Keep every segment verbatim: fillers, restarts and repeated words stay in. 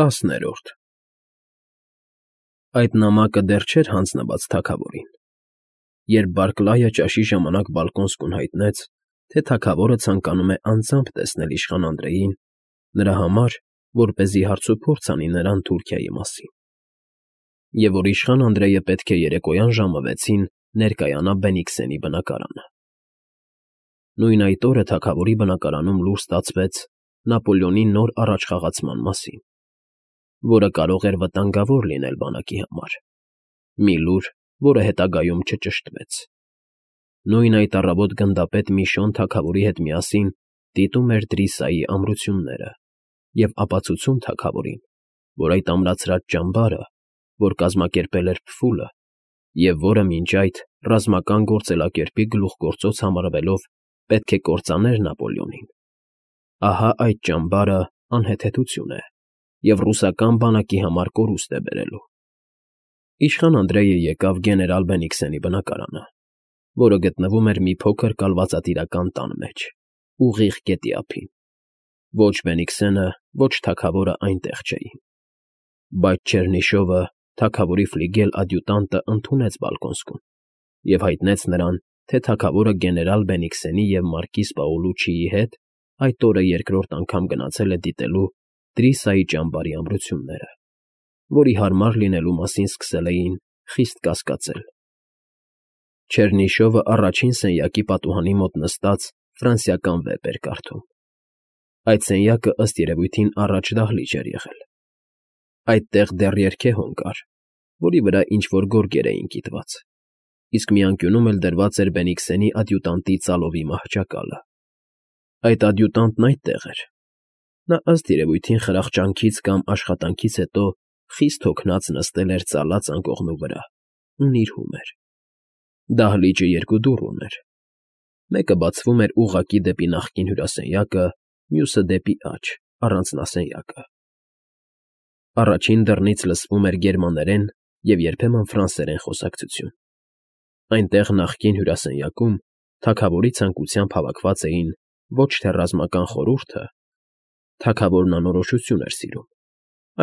ՏԱՍՆԵՐՈՐԴ Այդ նամակը դեռ չէր հանձնված թագավորին, երբ Բարքլայը ճաշի ժամանակ բալկոնսկուն հայտնեց, թե թագավորը ցանկանում է անձամբ տեսնել իշխան Անդրեյին, նրա համար, որպեսզի հարցուփորձ անի նրան Թուրքիայի մասին, և որ իշխան Անդրեյը պետք է երեկոյան ժամը վեցին ներկայանա Բենիքսենի բնակարանը։ Նույն այդ օրը թագավորի բնակարանում լուր ստացվեց Նապոլեոնի նոր առաջխաղացման մասին, որը կարող էր վտանգավոր լինել բանակի համար, մի լուր, որը հետագայում չճշտվեց։ Նույն այդ առավոտ գնդապետ Միշոն թագավորի հետ միասին դիտում էր Դրիսայի ամրությունները և ապացուցում թագավորին, որ այդ ամրացրած ճամբարը, որ կազմակերպել էր փֆուլը, և որը մինչ այդ ռազմական գործելակերպի գլուխգործոց համարվելով պետք է կործաներ Նապոլեոնին, ահա այդ ճամբարը անհեթեթություն է և ռուսական բանակի համար կորուստ է բերելու։ Իշխան Անդրեյը եկավ գեներալ Բենիքսենի բնակարանը, որը գտնվում էր մի փոքր կալվածատիրական տան մեջ, ուղիղ գետի ափին։ Ոչ Բենիքսենը, ոչ թագավորը այնտեղ չէին։ Բայց Չեռնիշովը, թագավորի ֆլիգել֊ադյուտանտը, ընդունեց բալկոնսկուն և հայտնեց նրան, թե թագավորը գեներալ Բենիքսենի և մարկիզ Պաուլուչիի հետ այդ օրը երկրորդ անգամ գնացել է դիտելու Դրիսայի ճամբարի ամրությունները, որի հարմար լինելու մասին սկսել էին խիստ կասկածել։ Չեռնիշովը առաջին սենյակի պատուհանի մոտ նստած ֆրանսիական վեպ էր կարդում։ Այդ սենյակը, ըստ երևույթին, առաջ դահլիճ էր եղել։ Այդտեղ դեռ երգեհոն կար, որի վրա ինչ֊որ գորգեր էին կիտված, իսկ մի անկյունում էլ դրված էր Բենիքսենի ադյուտանտի ծալովի մահճակալը։ Այդ ադյուտանտն այդտեղ էր։ Նա, ըստ երևույթին, խրախճանքից կամ աշխատանքից հետո խիստ հոգնած նստել էր ծալած անկողնու վրա ու նիրհում էր։ Դահլիճը երկու դուռ ուներ. մեկը բացվում էր ուղղակի դեպի նախկին հյուրասենյակը, մյուսը՝ դեպի աջ, առանձնասենյակը։ Առաջին դռնից լսվում էր գերմաներեն և երբեմն ֆրանսերեն խոսակցություն։ Այնտեղ, նախկին հյուրասենյակում, թագավորի ցանկությամբ հավաքված էին ոչ թե ռազմական խորհուրդը (թագավորն անորոշություն էր սիրում),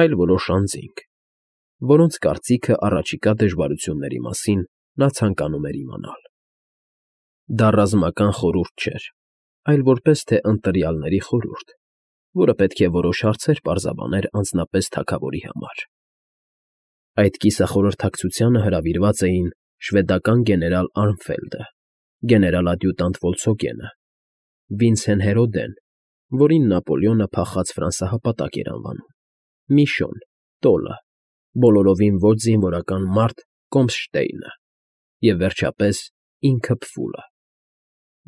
այլ որոշ անձինք, որոնց կարծիքը առաջիկա դժվարությունների մասին նա ցանկանում էր իմանալ։ Դա ռազմական խորհուրդ չէր, այլ որպես թե ընտրյալների խորհուրդ, որը պետք է որոշ հարցեր պարզաբաներ անձնապես թագավորի համար։ Այդ կիսախորհրդակցությանը հրավիրված էին շվեդական գեներալ Արմֆելդը, գեներալ֊ադյուտանտ Վոլցոգենը, Վինցեն Հերոդեն, որին Նապոլեոնը փախած ֆրանսահպատակ էր անվանում, Միշոն, Տոլը, բոլորովին ոչ զինվորական մարդ Կոմսշտեյնը և, վերջապես, ինքը փֆուլը,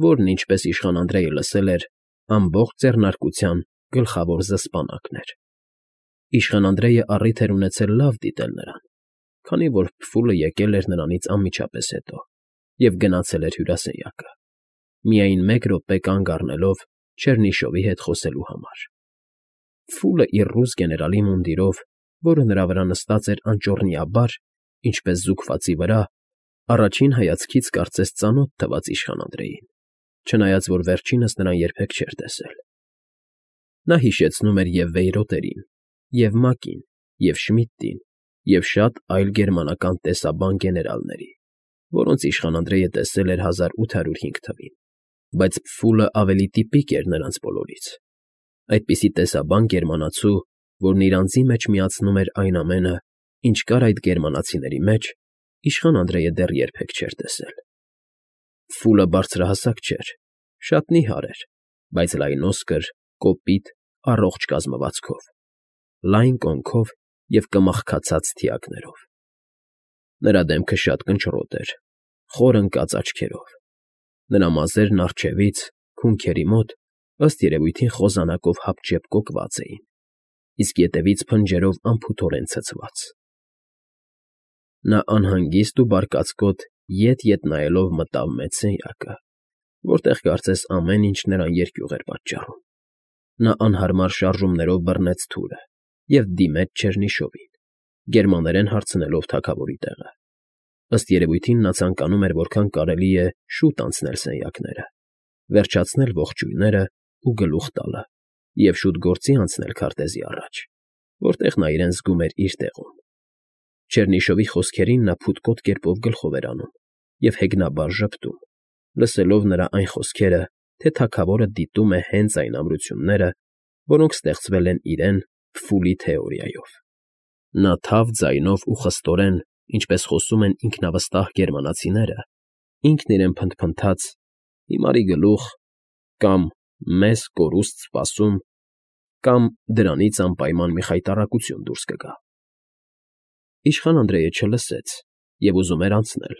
որն, ինչպես իշխան Անդրեյը լսել էր, ամբողջ ձեռնարկության գլխավոր զսպանակն էր։ Իշխան Անդրեյը առիթ էր ունեցել լավ դիտել նրան, քանի որ փֆուլը եկել էր նրանից անմիջապես հետո և գնացել էր հյուրասենյակը, միայն մեկ րոպե կանգ առնելով Չեռնիշովի հետ խոսելու համար։ Փֆուլը իր ռուս գեներալի մունդիրով, որը նրա վրա նստած էր անճոռնիաբար, ինչպես զուգվածի վրա, առաջին հայացքից կարծես ծանոթ թվաց իշխան Անդրեյին, չնայած որ վերջինս նրան երբեք չէր տեսել։ Նա հիշեցնում էր և Վեյրոտերին, և Մակին, և Շմիդտին, և շատ այլ գերմանական տեսաբան գեներալների, որոնց իշխան Անդրեյը տեսել էր հազար ութ հարյուր հինգ թվին, բայց փֆուլը ավելի տիպիկ էր նրանց բոլորից, այդպիսի տեսաբան գերմանացու, որն իր անձի մեջ միացնում էր այն ամենը, ինչ կար այդ գերմանացիների մեջ, իշխան Անդրեյը դեռ երբեք չէր տեսել։ Փֆուլը բարձրահասակ չէր, շատ նիհար էր, բայց լայնոսկր, կոպիտ, առողջ կազմվածքով, լայն կոնքով և կմախքացած թիակներով։ Նրա դեմքը շատ կնճռոտ էր, խոր ընկած աչքերով։ Նրա մազերն առջևից, քունքերի մոտ, ըստ երևույթին, խոզանակով հապճեպ կոկված էին, իսկ ետևից փնջերով անփութորեն ցցված։ Նա անհանգիստ ու բարկացկոտ ետ֊ետ նայելով մտավ մեծ սենյակը, որտեղ կարծես ամեն ինչ նրան երկյուղ էր պատճառում։ Նա անհարմար շարժումներով բռնեց թուրը և դիմեց Չեռնիշովին, գերմաներեն հարցնելով թագավորի տեղը։ Ըստ երևույթին նա ցանկանում էր որքան կարելի է շուտ անցնել սենյակները, վերջացնել ողջույններն ու գլուխ տալը և շուտ գործի անցնել քարտեզի առաջ, որտեղ նա իրեն զգում էր իր տեղում։ Չեռնիշովի խոսքերին նա փութկոտ կերպով գլխով էր անում և հեգնաբար ժպտում, լսելով նրա այն խոսքերը, թե թագավորը դիտում է հենց այն ամրությունները, որոնք ստեղծվել են իրեն Փֆուլի թեորիայով։ Նա թավ ձայնով ու խստորեն, ինչպես խոսում են ինքնավստահ գերմանացիները, ինքն իրեն փնթփնթաց. «Հիմարի գլուխ» կամ «Մեզ կորուստ սպասում» կամ «Դրանից անպայման մի խայտառակություն դուրս կգա»։ Իշխան Անդրեյը չլսեց և ուզում էր անցնել,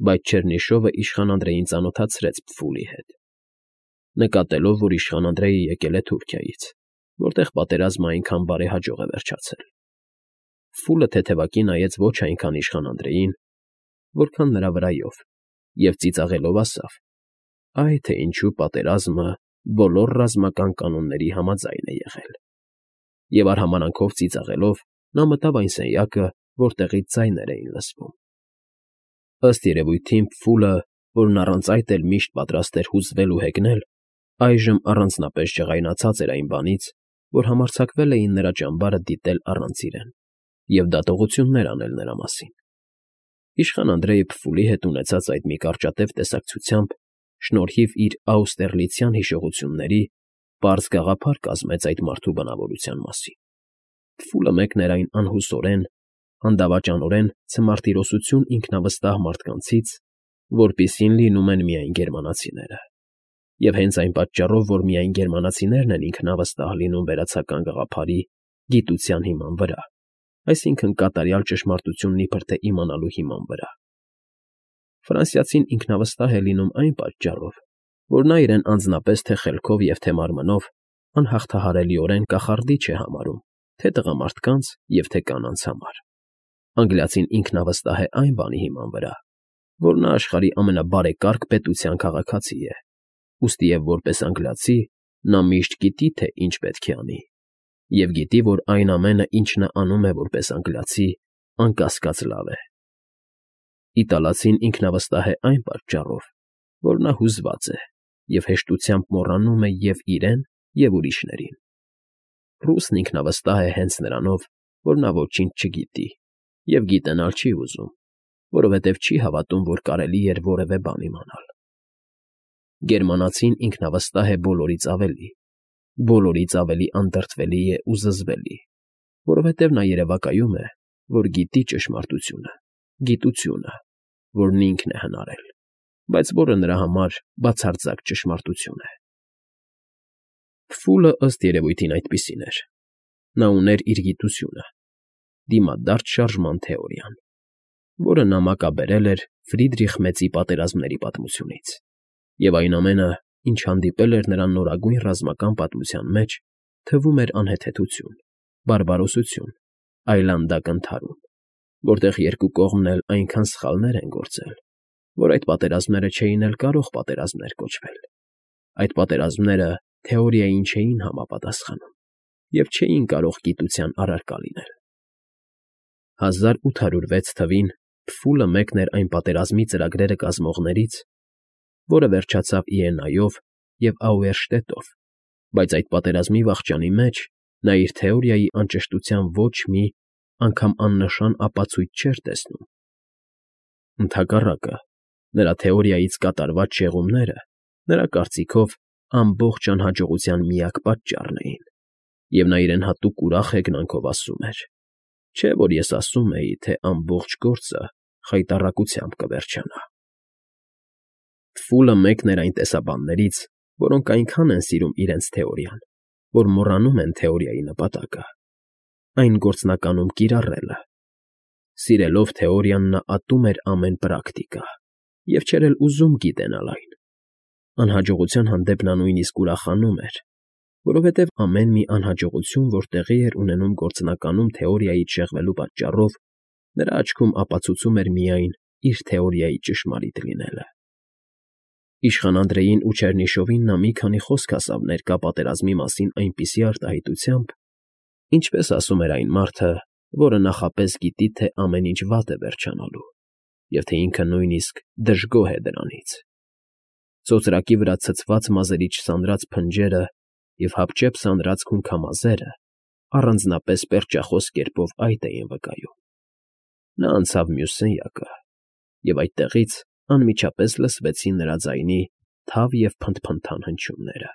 բայց Չեռնիշովը իշխան Անդրեյին ծանոթացրեց Փֆուլի հետ։ Նկատելով, որ իշխան Անդրեյը եկել է Թուրքիայից, որտեղ պատերազմը այնքան բարեհաջող է վերջացել, Փֆուլը թեթևակի նայեց ոչ այնքան իշխան Անդրեյին, որքան նրա վրայով, և ծիծաղելով ասավ. «Այ թե ինչու պատերազմը բոլոր ռազմական կանոնների համաձայն է եղել»։ Եվ արհամարհանքով ծիծաղելով նա մտավ այն սենյակը, որտեղից ձայներ էին լսվում։ Ըստ երևույթին Փֆուլը, որն առանց այդ էլ միշտ պատրաստ էր հուզվել ու հեգնել, այժմ առանձնապես ջղայնացած էր այն բանից, որ համարձակվել էին նրա ճամբարը դիտել առանց իրեն և դատողություններ անել նրա մասին։ Իշխան Անդրեյը Փֆուլի հետ ունեցած այդ մի կարճատև տեսակցությամբ, շնորհիվ իր աուստերլիցյան հիշողությունների, պարզ գաղափար կազմեց այդ մարդու բնավորության մասին։ Փֆուլը մեկն էր այն անհուսորեն, անդավաճանորեն ցմարտիրոսություն ինքնավստահ մարդկանցից, որպիսին լինում են միայն գերմանացիները։ Եվ հենց այն պատճառով, որ միայն գերմանացիներն են ինքնավստահ լինում վերացական գաղափարի, գիտության հիման վրա, այսինքն կատարյալ ճշմարտությունն իբր թե իմանալու հիման վրա, ֆրանսիացին ինքնավստահ է լինում այն պատճառով, որ նա իրեն անձնապես թե խելքով և թե մարմնով անհաղթահարելիորեն կախարդիչ է համարում թե տղամարդկանց և թե կանանց համար։ Անգլիացին ինքնավստահ է այն բանի հիման վրա, որ նա աշխարհի ամենաբարեկարգ պետության քաղաքացի է, ուստիև որպես անգլիացի նա միշտ գիտի, թե ինչ պետք է անի, և գիտի, որ այն ամենը, ինչ նա անում է որպես անգլիացի, անկասկած լավ է։ Իտալացին ինքնավստահ է այն պատճառով, որ նա հուզված է և հեշտությամբ մոռանում է և իրեն, և ուրիշներին։ Ռուսն ինքնավստահ է հենց նրանով, որ նա ոչինչ չգիտի և գիտենալ չի ուզում, որովհետև չի հավատում, որ կարելի էր որևէ բան իմանալ։ Գերմանացին ինքնավստահ է բոլորից ավելի, բոլորից ավելի անդրդվելի է ու զզվելի, որովհետև նա երևակայում է, որ գիտի ճշմարտությունը, գիտությունը, որն ինքն է հնարել, բայց որը նրա համար բացարձակ ճշմարտություն է։ Փֆուլը, ըստ երևույթին, այդպիսին էր։ Նա ուներ իր գիտությունը, դիմադարձ շարժման թեորիան, որը նամակաբերել էր Ֆրիդրիխ Մեծի պատերազմների պատմությունից, և այն ամենը, ինչ հանդիպել էր նրան նորագույն ռազմական պատմության մեջ, թվում էր անհեթեթություն, բարբարոսություն, այլանդակ ընդհարում, որտեղ երկու կողմն էլ այնքան սխալներ են գործել, որ այդ պատերազմները չէին էլ կարող պատերազմներ կոչվել։ Այդ պատերազմները թեորիային չէին համապատասխանում և չէին կարող գիտության առարկա լինել։ հազար ութ հարյուր վեց թվին Փֆուլը մեկն էր այն պատերազմի ծրագրերը կազմողներից, որը վերջացավ Իենայով և Աուերշտետով, բայց այդ պատերազմի վախճանի մեջ նա իր թեորիայի անճշտության ոչ մի, անգամ աննշան ապացույց չէր տեսնում։ Ընդհակառակը, նրա թեորիայից կատարված շեղումները, նրա կարծիքով, ամբողջ անհաջողության միակ պատճառն էին, և նա իրեն հատուկ ուրախ հեգնանքով ասում էր. «Չէ՞ որ ես ասում էի, թե ամբողջ գործը խայտառակությամբ կվերջանա»։ Փֆուլը մեկն էր այն տեսաբաններից, որոնք այնքան են սիրում իրենց թեորիան, որ մոռանում են թեորիայի նպատակը, այն գործնականում կիրառելը։ Սիրելով թեորիան նա ատում էր ամեն պրակտիկա և չէր էլ ուզում գիտենալ այն։ Անհաջողության հանդեպ նա նույնիսկ ուրախանում էր, որովհետև ամեն մի անհաջողություն, որ տեղի էր ունենում գործնականում թեորիայից շեղվելու պատճառով, նրա աչքում ապացուցում էր միայն իր թեորիայի ճշմարիտ լինելը։ Իշխան Անդրեյին ու Չեռնիշովին նա մի քանի խոսք ասավ ներկա պատերազմի մասին այնպիսի արտահայտությամբ, ինչպես ասում էր այն մարդը, որը նախապես գիտի, թե ամեն ինչ վատ է վերջանալու և թե ինքը նույնիսկ դժգոհ է դրանից։ Ծոծրակի վրա ցցված մազերի չսանրած փնջերը և հապճեպ սանրած քունքամազերը առանձնապես պերճախոս կերպով այդ էին վկայում։ Նա անցավ մյուս սենյակը, և այդտեղից անմիջապես լսվեցին նրա ձայնի թավ և փնթփնթան հնչյունները։